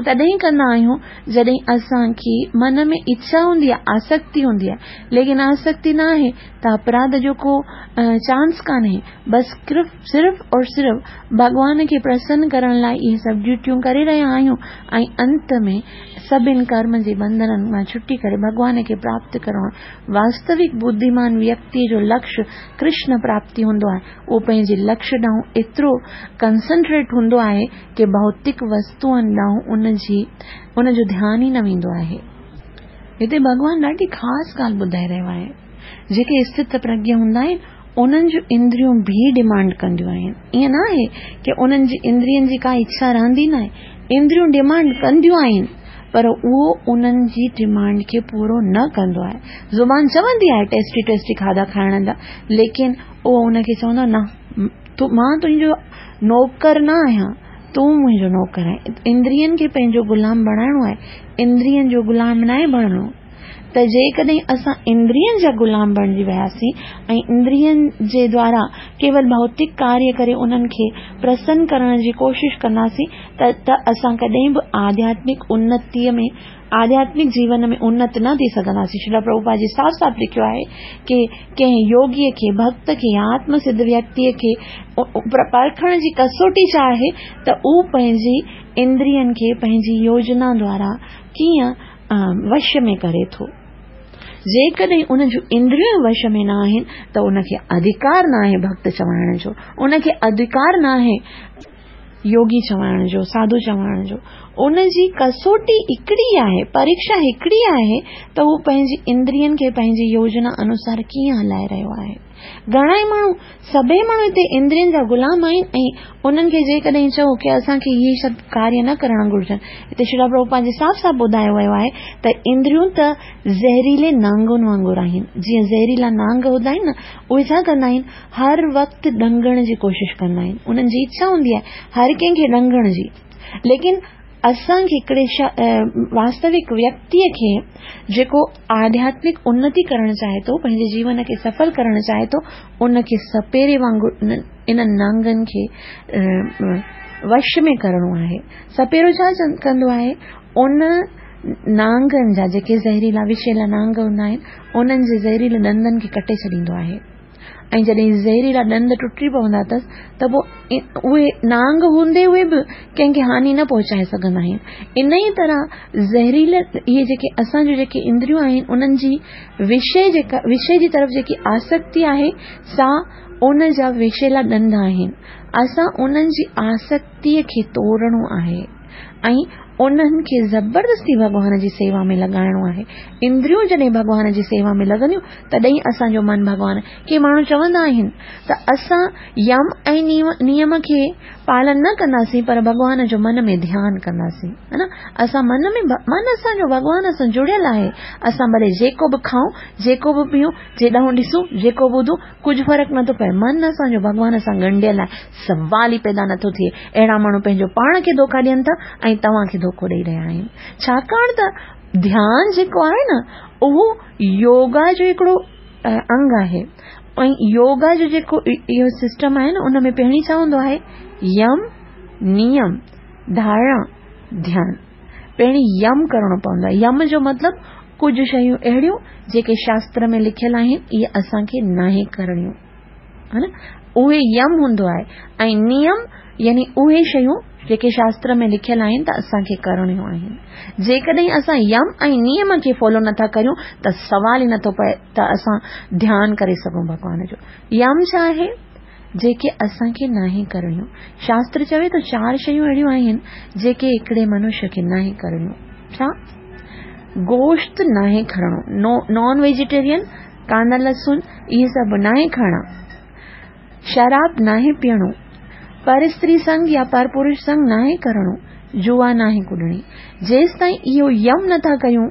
تڏهن ڪندا آهيون جڏهن اسان کي من ۾ اڇا هوندي آهي، آسڪتي هوندي آهي، ليڪن آسڪتي نه آهي ته اپراڌ جو ڪو چانس ڪانهي. بس صرف اور صرف ڀڳوان کي پرسن ڪرڻ لاء اهي سڀ ڊيوٽيون ڪري رهيا آهيون ۽ انت ۾ سڀن ڪرم جي بنڌنن مان ڇٽي ڪري ڀڳوان کي پراپت ڪرڻو آهي. واستوڪ ٻڌيمان ويڪتيء جو لڪش ڪرشن پراپتي هوندو آهي. اهو پنهنجي لڪش ڏانهن ايترو ڪنسنٽريٽ هوندو آهي ڪي ڀوتڪ وستوئن ڏانهن ان جي ان جو ڌيان ئي نه ويندو آهي. هتي ڀڳوان ڏاڍي خاص ڳالهه ٻڌائي رهيو آهي. جيڪي اسٿت پرگيه هوندا آهن انهن جون اندريون به ڊمانڊ ڪنديون آهن. ائين نه آهي ڪي انهن جي اندرين جي ڪا اڇا رهندي ناهي. اندريون ڊمانڊ ڪنديون آهن پر اهو انهن جي ڊمانڊ کي پورو نه ڪندو آهي. زبان چوندي آهي ٽيسٽي ٽيسٽي کاڌا کائڻ جا، ليڪن اهو ان کي چوندو آهي نه، مان تنهنجو نوڪر نه آهيان، تون منهنجو نوڪر آهين. اندرين کي پنهنجو غلام بڻائڻو آهي، اندرين جو غلام ناهي بڻڻو. ته جيڪڏهن اسان اندرين جا غلام بڻجي وياسين ۽ اندرين جي دوارا ڪيول ڀوتڪ ڪاريه ڪري انهن کي پرسن ڪرڻ جي ڪوشش ڪنداسين ته ته اسان ڪڏهن به آڌياتمڪ انتيء ۾ آڌياتمڪ جيون ۾ انت نه ٿي سگهنداسين. شريلا پرڀوپاد جي صاف صاف لکيو آهي ڪي ڪنهن يوگيء کي، ڀڳت کي يا آتم سڌ ويڪتيء کي پرکڻ جي ڪسوٽي ڇا آهي ته هو پنهنجي اندرين کي پنهنجي يوجنا دوارا ڪيئن وش ۾ ڪري ٿو. جيڪڏهن ان جون اندريون وش ۾ نه آهن ته ان کي اڌڪار نه آهي ڀڳت چوائڻ جو، ان کي اڌڪار نه آهي يوگي چوائڻ جو، ساڌو چوائڻ جو. ان جي ڪسوٽي هڪڙي آهي، پريڪشا هڪڙي آهي ته هو پنهنجي اندرين کي پنهنجي يوجنا انوسار ڪيئن هلائي رهيو آهي. گهڻا ئي ماڻهو، سڀئي ماڻهو هتي اندرين جا غلام آهن ۽ انهن کي جيڪڏهن چئو ڪي اسان کي اهي سڀ ڪاريه نه ڪرڻ گهرجن، هتي شريلا پرڀوپاد جي صاف صاف ٻڌايو ويو آهي ته اندريون ته زهريلي نانگن وانگر آهن. جيئن زهريلا نانگ هوندا آهن نه، اهي ڇا ڪندا آهن، هر وقت ڏنگڻ جي ڪوشش ڪندا آهن. انهن جي اڇا هوندي آهي هر ڪنهن کي ڏنگڻ جي. ليڪن اسان کي هڪڙي واستوڪ ويڪتيء کي جيڪو آڌياتمڪ انتي ڪرڻ چاهي ٿو، پنهنجي جيون کي سڦل ڪرڻ چاهي ٿو، ان کي سپيري وانگر انهن نانگن کي وش ۾ ڪرڻو آهي. سپيرو ڇا ڪندو آهي؟ ان نانگن جا جيڪي زهريلا وشيلا نانگ هوندا آهن، انهن جي زهريلي ڏندن کي ڪٽي ڇڏيندو آهي. ۽ جڏهن زهريلا ڏند ٽٽي پوندا اٿس ته پوء اهي نانگ هوندي هوئي به ڪنهن کي هاني نه پهچائي سگهندا آهن. انهيء طرح زهريلا اهي جيڪي اسان جون جيڪي اندريون آهن انهن جي وشي جيڪا وشي جي طرف جيڪي آسڪتي آهي سا ان جا وشيلا ڏند آهن. اسان انهن جي آسڪتيء کي توڙڻو آهي ۽ انهن کي زبردستي ڀڳوان جي سيوا ۾ لڳائڻو آهي. اندريون جڏهن ڀڳوان جي سيوا ۾ لڳنديون تڏهن اسان جو من ڀڳوان. ڪي ماڻهو چوندا آهن ته اسان يم ۽ نيم کي پالن نه ڪنداسين پر ڀڳوان جو من ۾ ڌيان ڪنداسين، ها نه؟ اسان من ۾ من اسان جو ڀڳوان سان جڙيل آهي. اسان ڀلي جيڪو به کائون، جيڪو به پيئون، جيڏانهن ڏسون، جيڪو ٻڌون، ڪجهه فرق نٿو پئي. من اسان جو ڀڳوان سان ڳنڍيل آهي، سوال ئي پيدا نٿو ٿئي. اهڙا ماڻهو پنهنجو پاڻ کي ڌوکا ڏين ٿا ۽ توهان کي ڌوکو ڏئي رهيا آهن. ڇاڪاڻ ته ڌيان جيڪو آهي نه اهو يوگا جو هڪڙو انگ آهي. ۽ يوگا جو جيڪو اهو سسٽم آهي نه، ان ۾ پهرين ڇا هوندو آهي؟ يم، نيم، ڌارڻا، ڌيان. پهرين يم ڪرڻو پوندو آهي. يم جو مطلب ڪجهه شيون اهڙيون جيڪي شاستر ۾ لکيل آهن، اهي اسان کي ناهي ڪرڻيون، ها نه، اهي يم هوندو آهي. ۽ نيم يعني اهي شيون جيڪي شاستر ۾ لکيل آهن ته اسان کي ڪرڻيون آهن. جيڪڏهن اسان يم ۽ نيم کي فالو نٿا ڪريون ته سوال ئي نٿو پئي ته اسان ڌيان ڪري سگهون ڀڳوان جو. يم ڇا آهي؟ جيڪي اسان کي ناهي ڪرڻيون. شاستر چوي ٿو چار شيون اهڙيون آهن جيڪي هڪڙي منشيه کي ناهي ڪرڻيون. ڇا؟ گوشت ناهي کڻڻو، نان ويجيٽيرين، ڪاندا لسن اهي سڀ ناهي کائڻا، شراب ناهي پيئڻو، پر استري سنگ يا پر پرش سنگ ناهي ڪرڻو، جوا ناهي ڪڏڻي. جيستائين اهو يم نٿا ڪيون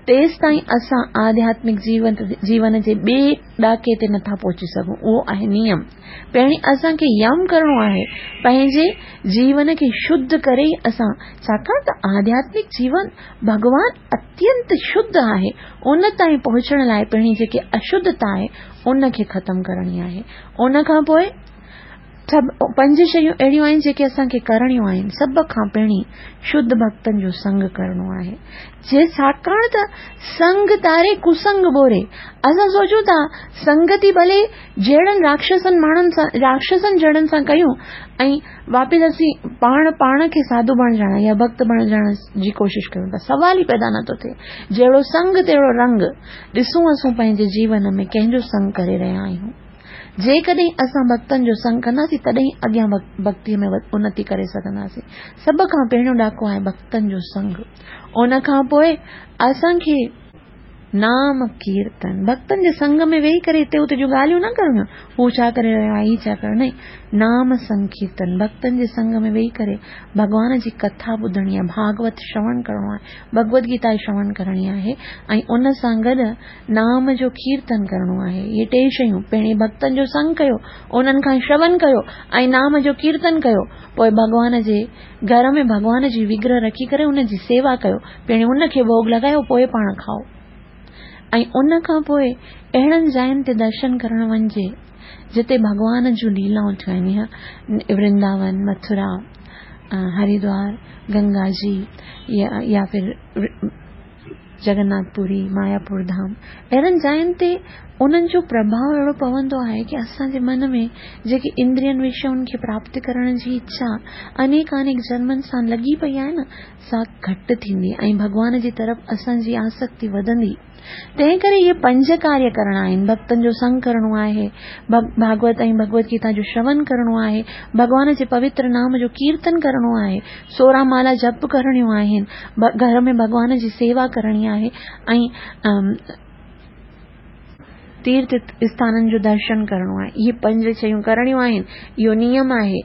تيستائين اسان آڌياتمڪ جيون جي ٻئي ڏاڪي تي نٿا پهچي سگهون. اهو آهي نيم. پهرين اسان کي يم ڪرڻو آهي، پنهنجي جيون کي شڌ ڪري ئي اسان، ڇاڪاڻ ته آڌياتمڪ جيون ڀڳوان اتينت شڌ آهي، ان تائين پهچڻ لاء پهرين جيڪي اشڌتا آهي ان کي ختم ڪرڻي آهي. ان کان پوء سڀ پنج شيون اهڙيون آهن جيڪي اسان کي ڪرڻيون آهن. سڀ کان پهرين شڌ ڀڳتن جو سنگ ڪرڻو آهي، جي ڇاڪاڻ ته سنگ تاري ڪسنگ ٻوري. اسان سوچون ٿا سنگتي ڀلي جهڙن راڪشسن ماڻهن سان، راڪشسن جهڙن سان ڪيون ۽ واپس اسين پاڻ پاڻ کي ساڌو بڻجڻ يا ڀڳت بڻجڻ جي ڪوشش ڪيون ٿا، سوال ئي پيدا نٿو ٿئي. جهڙو سنگ تهڙو رنگ. ڏسون اسون پنهنجي جيون ۾ ڪنهن جو سنگ ڪري رهيا آهيون. جيڪڏهن اسان ڀڳتن جو سنگ ڪنداسين تڏهن اڳيان ڀڳتيء ۾ انتي ڪري سگهنداسين. سڀ کان پهريون ڏاڪو آهي ڀڳتن جو سنگ. ان کان پوء اسان کي نام ڪيرتن، ڀڳتن جي سنگ ۾ ويهي ڪري هتي هتي جون ڳالهيون نه ڪرڻيون، هو ڇا ڪري رهيو آهي، هي ڇا ڪري، نه، نام سنڪيرتن، ڀڳتن جي سنگ ۾ ويهي ڪري ڀڳوان جي ڪٿا ٻڌڻي آهي، ڀاڳوت شروڻ ڪرڻو آهي، ڀڳوت گيتا شروڻ ڪرڻي آهي ۽ ان سان گڏ نام جو ڪيرتن ڪرڻو آهي. اهي ٽي شيون، پهرين ڀڳتن جو سنگ ڪيو، انهن کان شروڻ ڪيو ۽ نام جو ڪيرتن ڪيو، پوءِ ڀڳوان جي گهر ۾ ڀڳوان جي وگرهه رکي ڪري ان جي سيوا ڪيو، پهرين ان کي ڀوڳ لڳايو پوءِ پاڻ کائو. ۽ ان کان پوءِ اهڙن جاين تي درشن ڪرڻ وڃجي جتي ڀڳوان جون ليلائون ٿيون آهن، ورنداون، مٿرا، هردوار، گنگا جي يا ڦر جگناٿ پوري، ماياپور ڌام. اهڙن جاين تي انهن جو پرڀاءُ اهڙو پوندو آهي ڪه اسان جي من ۾ جيڪي اندرين وشين کي پراپت ڪرڻ جي اڇا انيڪ انيڪ جنمن سان لڳي پئي آهي نه، سا گهٽ ٿيندي ۽ ڀڳوان جي طرف اسان جي آسڪتي وڌندي. تنهن ڪري اهي پنج ڪاريه ڪرڻا آهن. ڀڳتن جو سنگ ڪرڻو آهي، ڀاڳوت ۽ ڀڳوت گيتا جو شروڻ ڪرڻو آهي، ڀڳوان جي پوتر نام جو ڪيرتن ڪرڻو آهي، سورهن مالا جپ ڪرڻيون آهن، گهر ۾ ڀڳوان جي سيوا ڪرڻي آهي ۽ تيرٿ اسٿانن جو درشن ڪرڻو آهي. اهي پنج شيون ڪرڻيون آهن، اهو نيم آهي.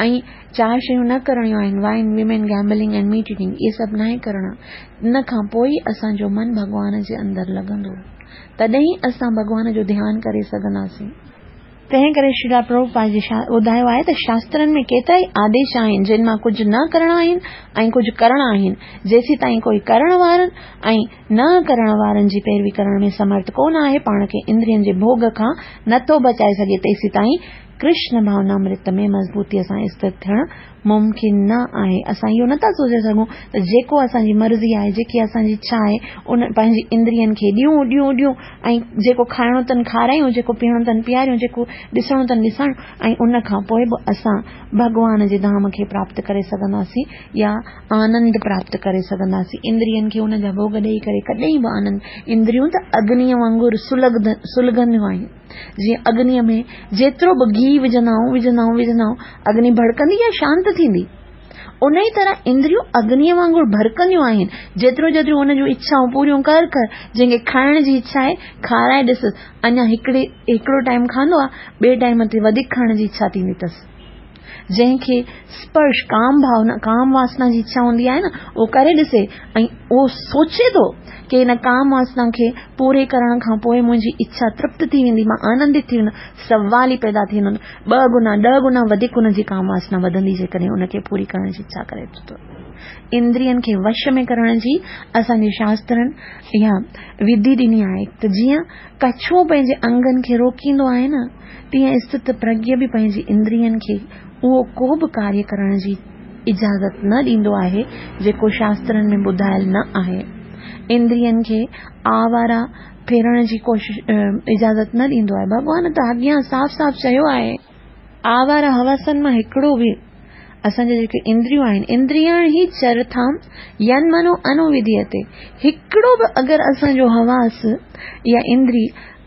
۽ چار شيون نه ڪرڻيون آهن، wine, women, gambling ۽ meat eating, اهي سڀ ناهي ڪرڻا. ان کان پوءِ ئي اسان جو من ڀڳوان جي اندر لڳندو، تڏهن ئي اسان ڀڳوان جو ڌيان ڪري سگهنداسين. تنهن ڪري شري پرڀوپاد جي ٻڌايو آهي ته شاسترن ۾ ڪيترا ئي آديش آهن جن مان ڪجهه نه ڪرڻا آهن ۽ ڪجهه ڪرڻا آهن. جيسين تائين ڪوئي ڪرڻ وارن ۽ نه ڪرڻ وارن جي پيروي ڪرڻ ۾ سمرٿ ڪونه آهي، پاڻ کي اندرين جي ڀوڳ کان نٿو بچائي سگهي، تيسين تائين ڪرشن ڀاونامرت ۾ مضبوطيءَ سان اسٿت ٿيڻ ممڪن نه آهي. اسان اهو نٿا سوچي سگهون ته جيڪو اسان جي مرضي آهي، جيڪي اسان جي اڇا آهي، ان پنهنجي اندرين کي ڏيون ڏيون ڏيون ۽ جيڪو کائڻو اٿن کارايون، جيڪو پيئڻو اٿن پياريون، جيڪو ڏسڻو اٿن ڏسڻ، ۽ ان کان پوءِ به اسان ڀڳوان جي ڌام کي پراپت ڪري سگهنداسين يا آنند پراپت ڪري سگهنداسين. اندرين کي ان جا ڀوڳ ڏيئي ڪري ڪڏهن به آنند، اندريون ته اگنيءَ وانگر سلڳنديون آهن. جيئن اگنيءَ ۾ جيترو به گيهه وجهندا آهيون وجهندا آهيون وجهندا آهيون، اگني ڀڙڪندي يا شانت ٿيندي؟ ان ئي طرح اندريون اگنيءَ وانگر ڀڙڪنديون آهن. جيترو جيتريون ان جون اڇائون پوريون ڪر ڪر، جنهن کي کائڻ جي اڇا آهي کارائي ڏس، اڃا هڪڙي هڪڙو ٽائيم کائيندو آهي، ٻئي ٽائيم تي وڌيڪ کائڻ جي اڇا ٿيندي اٿس. جنهن کي سپرش ڪام ڀاونا ڪام واسنا جي اڇا هوندي آهي نه، اهو ڪري ڏسي ۽ اهو سوچي ٿو ڪه هن ڪام واسنا کي پوري ڪرڻ کان پوءِ منهنجي اڇا ترپت ٿي ويندي، مان آنندت ٿي ويندم، سوال ئي پيدا ٿي ويندو. ٻه گنا ڏهه گنا وڌيڪ هن جي ڪام واسنا وڌندي جيڪڏهن هن کي پوري ڪرڻ جي اڇا ڪري ٿو. इंद्रियनि खे वश में करण जी असांजे शास्त्रनि इहा विधि ॾिनी आहे त जीअं कछुओ पंहिंजे अंगनि खे रोकींदो आहे न, तीअं स्थित प्रज्ञ बि पंहिंजी इंद्रियनि खे उहो को बि कार्य करण जी इजाज़त न ॾींदो आहे जेको शास्त्रनि में ॿुधायल न आहे। इंद्रियनि खे आवारा फेरण जी कोशिश इजाज़त न ॾींदो आहे। भॻवान त अॻियां साफ़ साफ़ चयो आहे, आवारा हवसनि मां हिकिड़ो बि असांजा जेके इंद्रियूं आहिनि, इंद्रियाण ही चरथाम यन मनो अनुविधीयते, हिकिड़ो बि अगरि असांजो हवास या इंद्री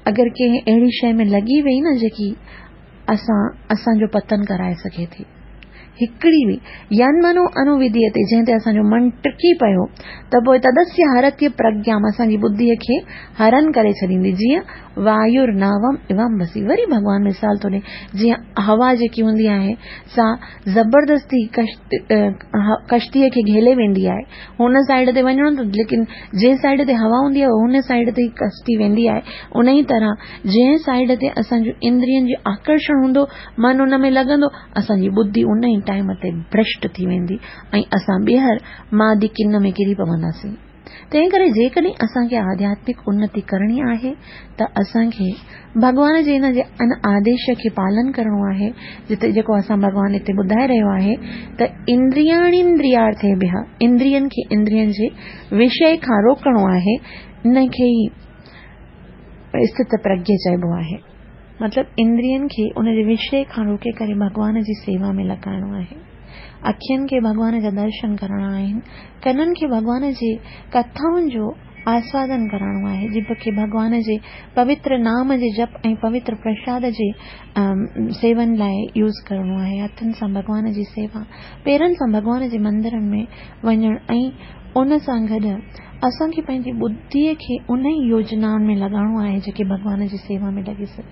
अगरि कंहिं अहिड़ी शइ में लॻी वई न जेकी असां असांजो पतन कराए सघे थी, हिकिड़ी बि यन मनो अनुविधीयते, जंहिं ते असांजो मन टिकी पियो त पोइ तदस्य हरत्य प्रज्ञाम, असांजी बुद्धिअ खे हरण करे छॾींदी। जीअं वायुर नावम इवम बसी, वरी भॻवान मिसाल थो ॾिए, जीअं हवा जेकी हूंदी आहे सा ज़बरदस्ती कश्तीअ खे घेले वेंदी आहे, हुन साइड ते वञिणो त लेकिन जंहिं साइड ते हवा हूंदी आहे हुन साइड ते ई कश्ती वेंदी आहे। उन ई तरह जंहिं साइड ते असांजो इंद्रियनि जो आकर्षण हूंदो, मन उन में लॻंदो, असांजी बुद्धि उन ई टाइम ते भ्रष्ट थी वेंदी ऐं असां ॿीहर मादी किन में किरी पवंदासीं। तंहिं करे जेकॾहिं असांखे आध्यात्मिक उन्नति करणी आहे त असांखे भॻवान जे हिन जे अन आदेश खे पालन करिणो आहे, जिते जेको असां भॻवान हिते ॿुधाए रहियो आहे त इंद्रियाणिंद्रियार्थेभ्यः, इंद्रियनि खे इंद्रियनि जे विषय खां रोकणो आहे, इन खे ई स्थित प्रज्ञ चइबो आहे। मतिलबु इंद्रियनि खे उन जे विषय खां रोके करे भॻवान जी सेवा में लॻाइणो आहे। अखियुनि खे भॻवान जा दर्शन करणा आहिनि, कननि खे भॻवान जे कथाउनि जो आस्वादन करणो आहे, जिभ खे भॻवान जे पवित्र नाम जे जप ऐं पवित्र प्रसाद जे सेवन लाइ यूज़ करिणो आहे, हथनि सां भॻवान जी सेवा, पेरनि सां भॻवान जे मंदिरनि में वञणु ऐं उन सां गॾु असांखे पंहिंजी बुद्धिअ खे उन ई योजनाउनि में लॻाइणो आहे जेके भॻवान जी सेवा में लॻी सघे।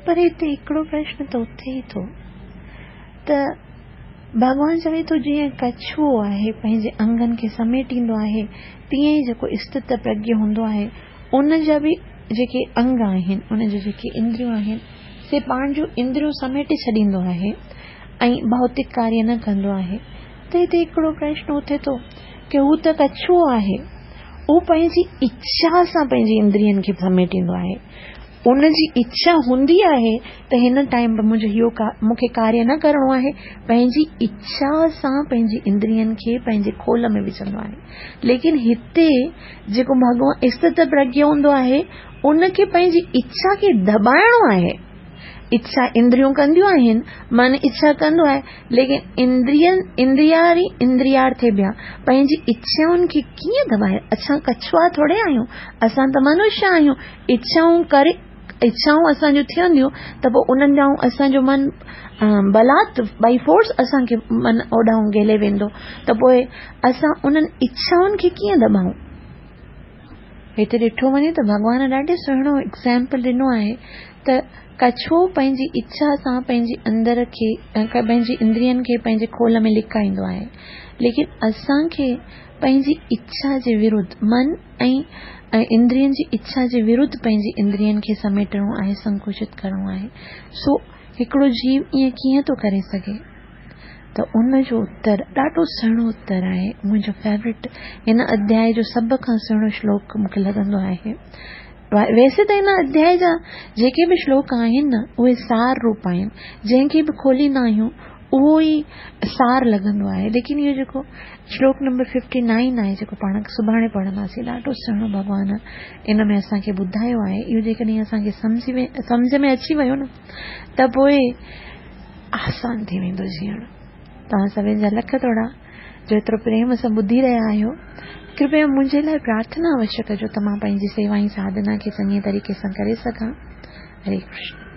पर हिते हिकिड़ो प्रश्न त उथे ई थो त भॻवान चवे थो जीअं कछुओ आहे पंहिंजे अंगनि खे समेटींदो आहे, तीअं ई जेको स्थित प्रज्ञ हूंदो आहे उन जा बि जेके अंग आहिनि, उन जूं जेके इंद्रियूं आहिनि, से पाण जूं इंद्रियूं समेटे छॾींदो आहे ऐं भौतिक कार्य न कंदो आहे। त हिते हिकिड़ो प्रश्न उथे थो की हू त कछुओ आहे, उहो पंहिंजी इच्छा सां पंहिंजी इंद्रियनि खे समेटींदो आहे, उन जी इच्छा हूंदी आहे त हिन टाइम मुंहिंजो इहो मूंखे कार्य न करिणो आहे, पंहिंजी इच्छा सां पंहिंजी इंद्रियनि खे पंहिंजे खोल में विझंदो आहे। लेकिन हिते जेको भॻवान स्थित प्रज्ञ हूंदो आहे उनखे पंहिंजी इच्छा खे दॿाइणो आहे। इच्छा इंद्रियूं कंदियूं आहिनि, मन इच्छा कंदो आहे, लेकिन इंद्रियनि इंद्रियारी इंद्रियार्थेभ्यः, पंहिंजी इच्छाउनि खे कीअं दॿाए? असां कछुआ थोरे आहियूं, असां त मनुष्य आहियूं। इच्छाऊं करे इच्छाऊं असांजूं थियंदियूं त पोइ उन्हनि ॾांहुं असांजो मन बलात् बाई फोर्स असांखे मन ओॾांहुं गेले वेंदो, त पोइ असां उन्हनि इच्छाउनि खे कीअं दॿाऊं? हिते ॾिठो वञे त भॻवान ॾाढो सुहिणो एग्ज़ाम्पल ॾिनो आहे त कछुओ पंहिंजी इच्छा सां पंहिंजी अंदर खे पंहिंजी इंद्रियनि खे पंहिंजे खोल में लिकाईंदो आहे, लेकिन असांखे पंहिंजी इच्छा जे विरुद्ध मन ऐं इंद्रियनि जी इच्छा जे विरुद्ध पंहिंजी इंद्रियनि खे समेटणो आहे, संकुचित करिणो आहे। सो हिकिड़ो जीव ईअं कीअं थो करे सघे? त उन जो उत्तर ॾाढो सुहिणो उत्तर आहे, मुंहिंजो फेवरेट हिन अध्याय जो सभ खां सुहिणो श्लोक मूंखे लॻंदो आहे। वैसे त हिन अध्याय जा जेके बि श्लोक आहिनि न उहे सार रूप आहिनि, जंहिंखे बि खोलींदा आहियूं उहो ई सार लॻंदो आहे, लेकिन इहो जेको श्लोक नंबर फिफ्टी नाइन आहे जेको पाण सुभाणे पढ़ंदासीं, ॾाढो सुहिणो भॻवान इन में असांखे ॿुधायो आहे। इहो जेकॾहिं असांखे सम्झी सम्झ में अची वियो न त पोइ आसान थी वेंदो जीअण। तव्हां सभिनी जा लख थोरा जो एतिरो प्रेम सां ॿुधी रहिया आहियो। कृपया मुंहिंजे लाइ प्रार्थना अवश्य कजो त मां पंहिंजी सेवा ऐं साधना खे चङे तरीक़े सां करे सघां। हरे कृष्ण।